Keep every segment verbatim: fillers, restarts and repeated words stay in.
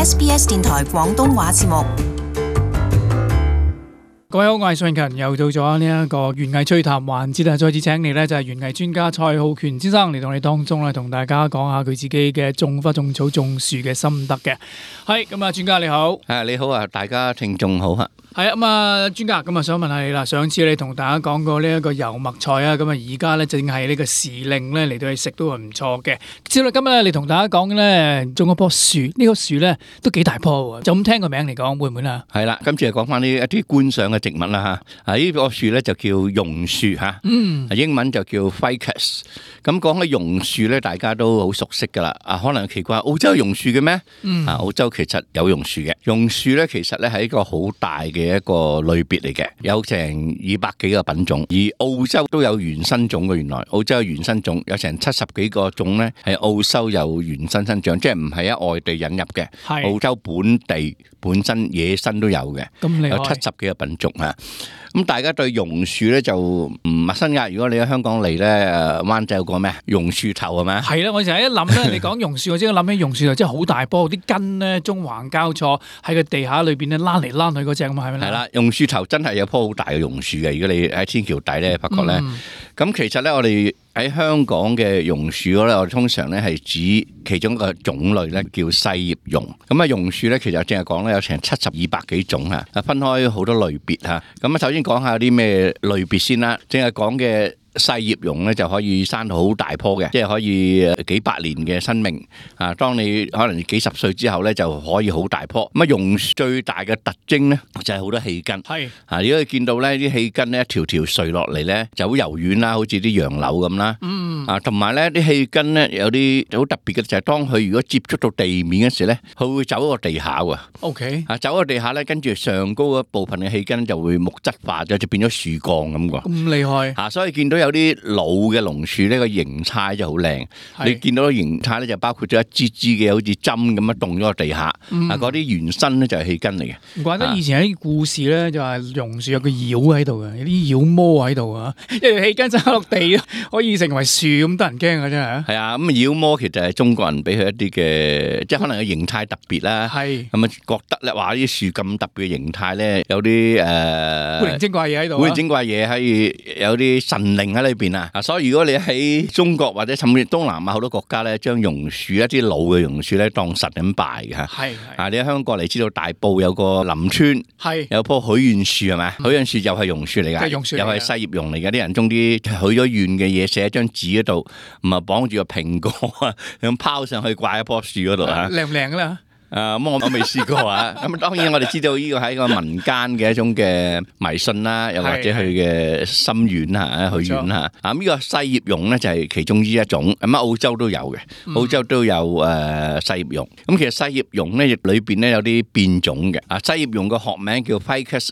S B S 電台廣東話節目。各位好，我係順勤，又到咗呢一個園藝趣談環節啊！再次請嚟咧就係園藝專家蔡浩權先生嚟到我哋當中咧，同大家講下佢自己嘅種花、種草、種樹嘅心得嘅。係咁啊，專家你好。誒你好啊，大家聽眾好啊。係啊，咁啊，專家咁啊，想問下你啦。上次你同大家講過呢一個油麥菜啊，咁啊，而家咧正係呢個時令咧嚟到去食都係唔錯嘅。之後今日你同大家講咧，種一棵樹，呢棵樹咧都幾大棵喎。就咁聽個名嚟講，會唔會啊？係啦，今次係講翻呢一啲觀賞嘅植物啦嚇。啊，呢棵樹咧就叫榕樹嚇，嗯，英文就叫 Ficus。咁講起榕樹咧，大家都好熟悉噶啦。啊，可能奇怪，澳洲有榕樹嘅咩？嗯，啊，澳洲其實有榕樹嘅。榕樹咧其實咧係一個好大嘅嘅一個類別嚟嘅，有成二百幾個品種，而澳洲都有原生種嘅。原來澳洲有原生種，有成七十幾個種咧，係澳洲有原生生長，即係唔係喺外地引入嘅，澳洲本地本身野生都有嘅，有七十幾個品種啊。咁大家對榕樹咧就唔陌生噶。如果你喺香港嚟咧，誒灣仔有個咩榕樹頭係咪？係啦，我成日一諗咧，你講榕樹，我即刻諗起榕樹頭，真係好大棵，啲根咧中橫交錯喺個地下裏邊咧拉嚟拉去嗰隻咁啊，係咪咧？係啦，榕樹頭真係有棵好大嘅榕樹嘅。如果你喺天橋底咧，發覺咧，咁、嗯、其實咧我哋喺香港嘅榕樹咧，我哋通常咧係指其中一個種類咧叫細葉榕。咁啊榕樹咧其實淨係講咧有成七十二百幾種啊，分開好多類別嚇。咁啊首先講下啲咩類別先啦，淨係講嘅細葉榕咧就可以生到好大棵嘅，即係可以幾百年嘅生命啊！當你可能幾十歲之後咧，就可以好大棵。咁啊，榕樹最大嘅特徵咧就係好多氣根。係啊，如果你見到咧啲氣根咧一條條垂落嚟咧，就好柔軟啦，好似啲楊柳咁啦。嗯。啊，同埋咧啲氣根咧有啲好特別嘅，就係當佢如果接觸到地面嘅時咧，佢會走個地下喎。O K。啊，走個地下咧，跟住上高嗰部分嘅氣根就會木質化咗，就變咗樹幹咁喎。咁厲害。啊，所以見到有啲老嘅榕樹呢個形態就好靚，你見到個形態咧就包括咗一支支嘅好似針咁樣棟咗個地下，嗯、啊嗰啲原生咧就係氣根嚟嘅。唔怪得以前喺故事咧就係榕樹有個妖喺度嘅，有啲妖魔喺度啊，一條氣根生落地可以成為樹咁得人驚嘅真係。係啊，咁妖魔其實係中國人俾佢一啲嘅，即係可能個形態特別啦。係咁啊，覺得咧話啲樹咁特別嘅形態咧，有啲誒古靈精怪嘢喺度，古靈精怪嘢可以有啲神靈喺裏邊。啊，所以如果你喺中國或者甚至東南亞好多國家咧，將榕樹一啲老嘅榕樹咧當神咁拜嘅嚇。係啊，你喺香港嚟知道大埔有個林村，係有棵許願樹係咪？許願樹又係榕樹嚟㗎，又係細葉榕嚟㗎。啲人種啲許咗願嘅嘢寫喺張紙嗰度，唔係綁住個蘋果啊，咁拋上去掛喺棵樹嗰度嚇。靚唔靚㗎啦？誒咁我我未試過啊！咁當然我哋知道呢個係一個民間嘅一種嘅迷信啦，又或者佢嘅心願啊、許願啊。啊呢個細葉榕咧就係其中之一種，咁啊澳洲都有嘅，澳洲都有誒細葉榕。咁其實細葉榕咧裏邊咧有啲變種嘅。啊細葉榕個學名叫 Ficus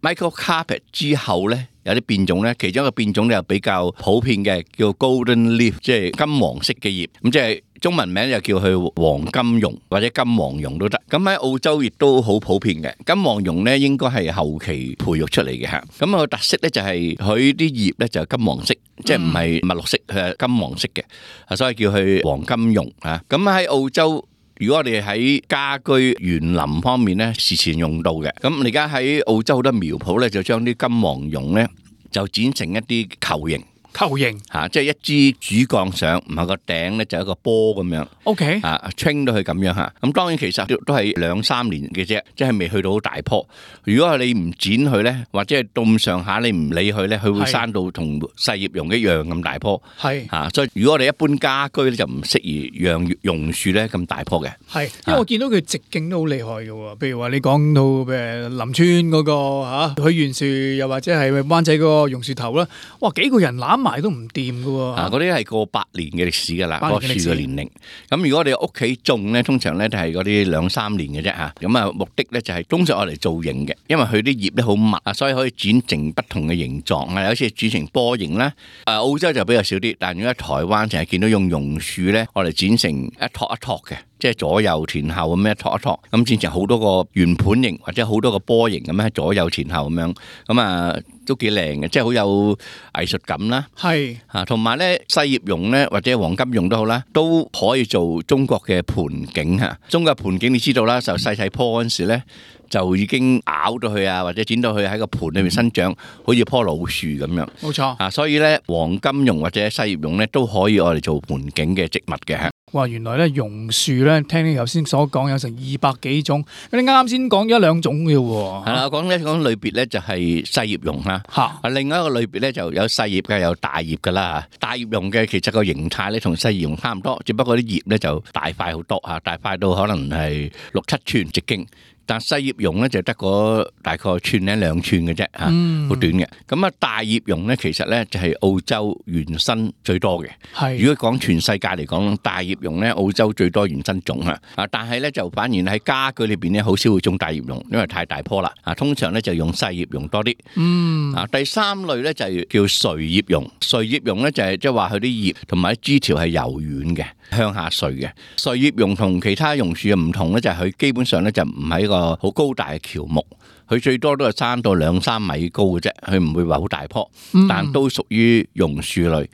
microcarpet，microcarpet 之後咧有啲變種咧，其中一個變種咧又比較普遍嘅，叫 golden leaf， 即係金黃色嘅葉。咁即係中文名就叫佢黃金榕或者金黃榕都得。咁喺澳洲亦都好普遍嘅。金黃榕咧應該係後期培育出嚟嘅嚇。咁個特色咧就係佢啲葉咧就係金黃色，嗯、即係唔係墨綠色，佢係金黃色嘅，所以叫佢黃金榕啊。咁喺澳洲，如果我哋喺家居園林方面咧，時常用到嘅。咁而家喺澳洲好多苗圃咧，就將啲金黃榕咧就剪成一啲球形。球形嚇，即係一支主幹上，唔係個頂咧，就係一個波咁樣。O K，啊 train 到佢咁樣嚇。咁當然其實都都係兩三年嘅啫，即係未去到好大棵。如果係你唔剪佢咧，或者係到咁上下你唔理佢咧，佢會生到同細葉榕一樣咁大棵。係嚇，所以如果我哋一般家居咧就唔適宜養榕樹咧咁大棵嘅。係，因為我見到佢直徑都好厲害嘅喎。譬如話你講到誒林村嗰個嚇許願樹，又或者係灣仔嗰個榕樹頭啦，哇幾個人攬埋都唔掂㗎喎。啊，嗰啲係過百年嘅歷史㗎啦，嗰個樹嘅年齡。咁如果我哋屋企種咧，通常咧就係嗰啲兩三年嘅啫嚇。咁啊目的咧就係通常我嚟造型嘅，因為佢啲葉咧好密啊，所以可以剪成不同嘅形狀啊。有時剪成波形啦。誒澳洲就比較少啲，但係如果喺台灣成日見到用榕樹咧，我嚟剪成一托一托嘅。即係左右前後咁樣托一托，咁剪成好多個圓盤形或者好多個波形咁樣喺左右前後咁樣，咁啊都幾靚嘅，即係好有藝術感啦。係啊，同埋咧細葉榕咧或者黃金榕都好啦，都可以做中國嘅盆景嚇。中國盆景你知道啦，就細細棵嗰陣時咧，就已經咬到佢啊，或者剪到佢喺個盆裏面生長，好似棵老樹咁樣。冇錯啊，所以咧黃金榕或者細葉榕咧都可以我哋做盆景嘅植物嘅嚇。哇！原來咧榕樹咧，聽你頭先所講有成二百幾種，你啱啱先講咗一兩種嘅喎。係啦，我講咧講類別咧就係細葉榕啦。嚇，啊另外一個類別咧就有細葉嘅，有大葉嘅啦。大葉榕嘅其實個形態咧同細葉榕差唔多，只不過啲葉咧就大塊好多嚇，大塊到可能係六七寸直徑。但細葉榕咧就得個大概寸零兩寸嘅啫嚇，好短嘅。咁啊大葉榕咧其實咧就係澳洲原生最多嘅。係。如果講全世界嚟講，大葉榕咧澳洲最多原生種嚇。啊，但係咧就反而喺家居裏邊咧好少會種大葉榕，因為太大棵啦。啊，通常咧就用細葉榕多啲。嗯。啊，第三類咧就係叫垂葉榕。垂葉榕咧就係即係話佢啲葉同埋啲枝條係柔軟嘅，向下垂嘅。垂葉榕同其他榕樹嘅唔同咧，就係佢基本上咧就唔係一個好高大嘅喬木，佢最多都係生到兩三米高嘅啫，佢唔會話好大棵，但都屬於榕樹類。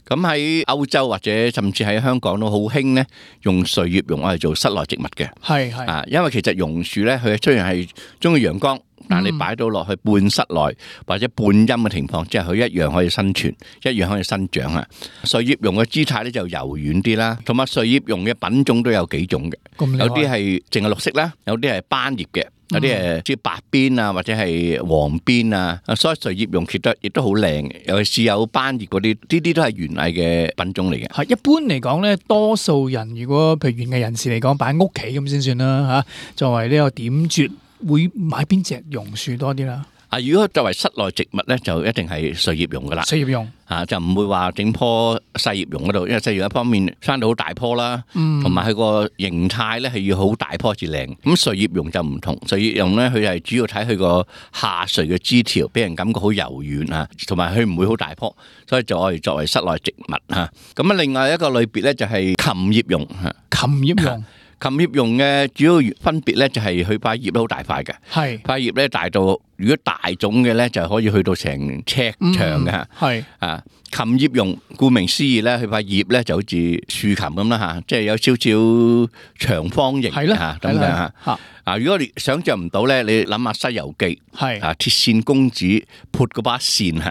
咁喺歐洲或者甚至喺香港都好興咧，用垂葉榕嚟做室內植物嘅。係係啊，因為其實榕樹咧，佢雖然係中意陽光，但你擺到落去半室內或者半陰嘅情況，即係佢一樣可以生存，一樣可以生長啊。垂葉榕嘅姿態咧就柔軟啲啦，同埋垂葉榕嘅品種都有幾種嘅，有啲係淨係綠色啦，有啲係斑葉嘅。有啲誒，即係白邊啊，或者係黃邊啊，所以垂葉榕其實亦都好靚，尤其是有斑葉嗰啲，呢啲都係園藝嘅品種嚟嘅。係一般嚟講咧，多數人如果譬如園藝人士嚟講，擺喺屋企咁先算啦嚇。作為呢個點綴，會買邊隻榕樹多啲啦？啊，如果作為室內植物咧，就一定係垂葉榕噶啦。垂葉榕啊，就唔會話整棵細葉榕嗰度，因為細葉榕一方面生到好大棵啦，同埋佢個形態咧係要好大棵至靚。咁垂葉榕就唔同，垂葉榕咧佢係主要睇佢個下垂嘅枝條，俾人感覺好柔軟啊，同埋佢唔會好大棵，所以就可以作為室內植物嚇。咁啊，另外一個類別咧就係琴葉榕嚇。琴葉榕。琴葉榕嘅主要分別咧就係佢塊葉都好大塊嘅，係塊葉咧大到如果大種嘅咧就可以去到成尺長嘅嚇，係啊琴葉榕顧名思義咧，佢塊葉咧就好似豎琴咁啦嚇，即係有少少長方形嚇咁樣嚇。啊！如果你想像唔到咧，你諗下《西遊記》係啊，鐵扇公子撥嗰把扇嚇，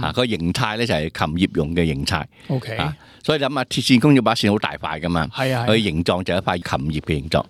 啊個形態咧就係琴葉榕嘅形態。O K，所以諗下鐵扇公子把扇好大塊噶嘛，係啊，佢形狀就係一塊琴葉嘅形狀。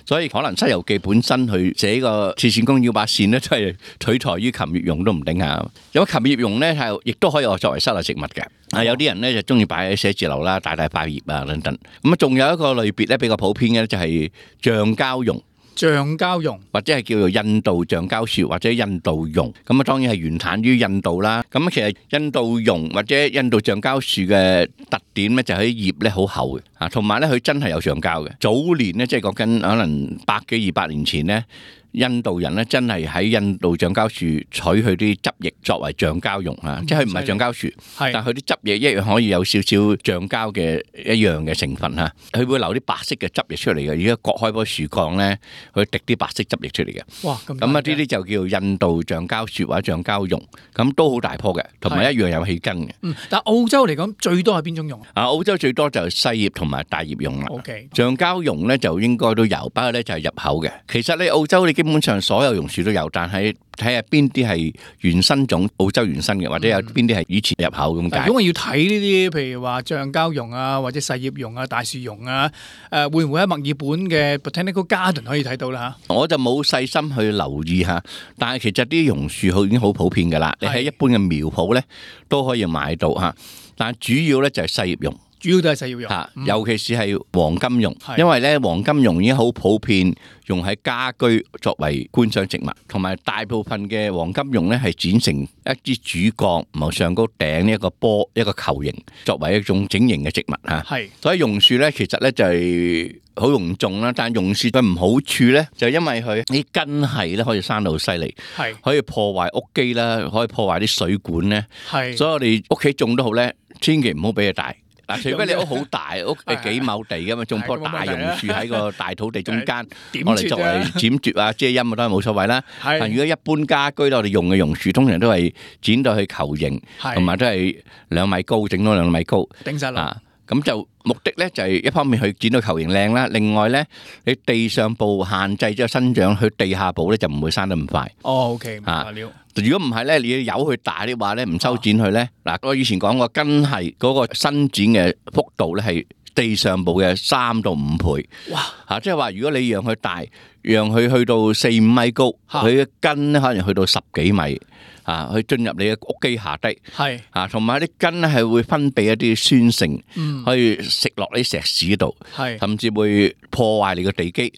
所以可能《西遊記》本身佢寫個鐵扇公子把扇咧，都係取材於琴葉榕都唔定啊。有琴葉榕咧係亦都可以作為室內植物嘅。啊，有啲人咧就中意擺喺寫字樓啦，大大塊葉啊等等。咁啊，仲有一個類別咧比較普遍嘅咧就係橡膠榕。橡膠榕或者係叫做印度橡膠樹或者印度榕，咁啊當然係原產於印度啦。咁其實印度榕或者印度橡膠樹嘅特點咧就係啲葉咧好厚嘅，啊同埋咧佢真係有橡膠嘅。早年咧即係講緊可能百幾二百年前咧。印度人咧真係喺印度橡膠樹取佢啲汁液作為橡膠用啊，即係佢唔係橡膠樹，但係佢啲汁液一樣可以有少少橡膠嘅一樣嘅成分嚇，佢會流啲白色嘅汁液出嚟嘅。而家割開棵樹幹咧，佢滴啲白色汁液出嚟嘅。哇！咁啊，呢啲就叫印度橡膠樹或者橡膠榕，咁都好大棵嘅，同埋一樣有氣根嘅。嗯，但係澳洲嚟講最多係邊種榕啊？澳洲最多就係細葉同埋大葉榕啦。OK，橡膠榕咧就應該都有，不過咧就係入口嘅。其實咧澳洲你基本上所有榕樹都有，但係睇下邊啲係原生種，澳洲原生嘅，或者有邊啲係以前入口咁解。如果我要睇呢啲，譬如話橡膠榕啊，或者細葉榕啊、大樹榕啊，誒會唔會喺墨爾本嘅 Botanical Garden 可以睇到啦？嚇，我就冇細心去留意嚇，但係其實啲榕樹好已經好普遍㗎啦。你喺一般嘅苗圃咧都可以買到嚇，但係主要咧就係細葉榕。主要都係細葉榕，嚇，尤其是係黃金榕，因為咧黃金榕已經好普遍用喺家居作為觀賞植物，同埋大部分嘅黃金榕咧係剪成一支主幹，唔係上高頂呢一個波一個球形，作為一種整形嘅植物嚇。係，所以榕樹咧其實咧就係好容易種啦，但係榕樹嘅唔好處咧就因為佢啲根係咧可以生到好犀利，係可以破壞屋基啦，可以破壞啲水管咧，係，所以我哋屋企種都好咧，千祈唔好俾佢大。嗱，除非你屋好大，屋係幾畝地㗎嘛，種棵大榕樹喺個大土地中間，我哋作為剪絕啊、遮陰啊都係冇所謂啦。但如果一般家居咧，我哋用嘅榕樹通常都係剪到去球形，同埋都係兩米高，整到兩米高。頂實啦。咁就目的咧就係一方面去剪到球形靚啦，另外咧你地上部限制咗生長，去地下部咧就唔會生得咁快。哦 ，OK，明白了。如果唔係咧，你要由佢大啲話咧，唔修剪佢咧，嗱，我以前講過，根係嗰個伸展嘅幅度咧係地上部嘅三到五倍。哇！嚇，即係話如果你讓佢大，讓佢去到四五米高，佢嘅根咧可能去到十幾米。啊！去進入你嘅屋基下底，係啊，同埋啲根咧係會分泌一啲酸性，嗯、可以食落啲石屎度，係甚至會破壞你個地基。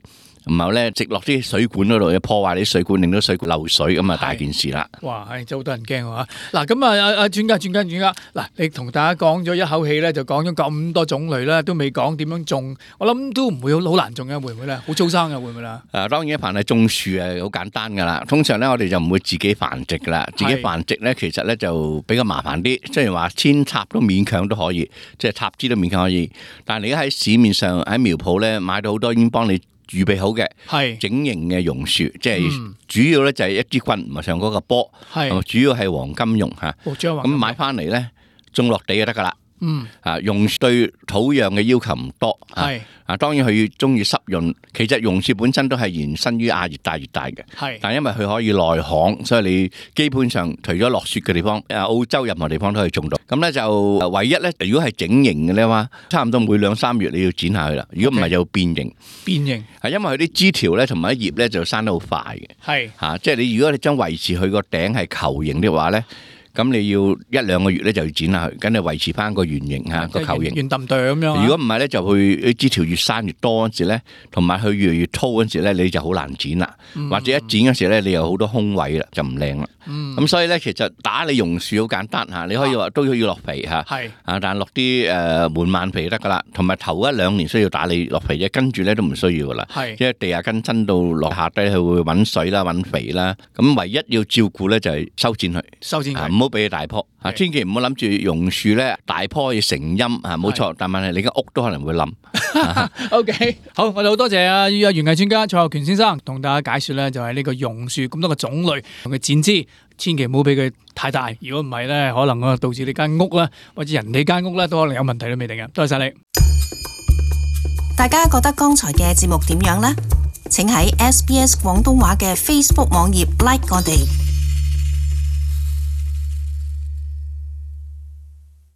然後咧，直落啲水管嗰度，破壞啲水管，令到水管漏水，咁啊大件事啦。哇，係真好多人驚喎。嗱，咁啊，阿阿專家、專家、專家，嗱，你同大家講咗一口氣咧，就講咗咁多種類啦，都未講點樣種。我諗都唔會好好難種嘅，會唔會咧？好粗生嘅會唔會啦？誒，當然一凡係種樹係好簡單噶啦。通常咧，我哋就唔會自己繁殖噶啦。自己繁殖咧，其實咧就比較麻煩啲。雖然話扦插都勉強都可以，即係插枝都勉強可以。但係你而家喺市面上喺苗鋪咧買到好多已經幫你預備好嘅係整形嘅榕樹，即係主要咧就係一支棍，唔係上嗰個波，係主要係黃金榕吓。咁買翻嚟咧種落地就得噶啦。嗯，啊，榕樹對土壤嘅要求唔多，係啊，當然佢中意濕潤。其實榕樹本身都係延伸於亞熱帶、熱帶嘅，係。但係因為佢可以耐旱，所以你基本上除咗落雪嘅地方，誒，澳洲任何地方都可以種到。咁咧就唯一咧，如果係整形嘅咧話，差唔多每兩三月你要剪下去啦。如果唔係就變形。變形係因為佢啲枝條咧同埋啲葉咧就生得好快嘅，係嚇。即係你如果你將維持佢個頂係球形嘅話咧。咁你要一兩個月咧就要剪下去，咁你維持翻個圓形嚇個球形。圓揼哚咁樣。如果唔係咧，就會枝條越生越多嗰陣時咧，同埋佢越嚟越粗嗰陣時咧，你就好難剪啦。嗯、或者一剪嗰時咧，你有好多空位啦，就唔靚啦。咁、嗯、所以咧，其實打理榕樹好簡單嚇，你可以話都要落肥嚇。係啊，但係落啲誒門蔓肥得噶啦，同埋頭一兩年需要打理落肥啫，跟住咧都唔需要噶啦。係，因為地下根伸到落下低，佢會揾水啦、揾肥啦。咁唯一要照顧咧就係修剪佢，修剪佢。唔好俾佢大棵啊！千祈唔好諗住榕樹咧大棵可以成蔭啊，冇錯。但問題你間屋都可能會冧。O K， 好，我哋好多謝啊，園藝專家蔡浩權先生同大家解說咧，就係呢個榕樹咁多個種類同佢剪枝，千祈唔好俾佢太大。如果唔係咧，可能啊導致你間屋啦，或者人哋間屋咧都可能有問題都未定嘅。多謝晒你。大家覺得剛才嘅節目點樣呢？請喺 S B S 廣東話嘅 Facebook 網頁 like 我哋。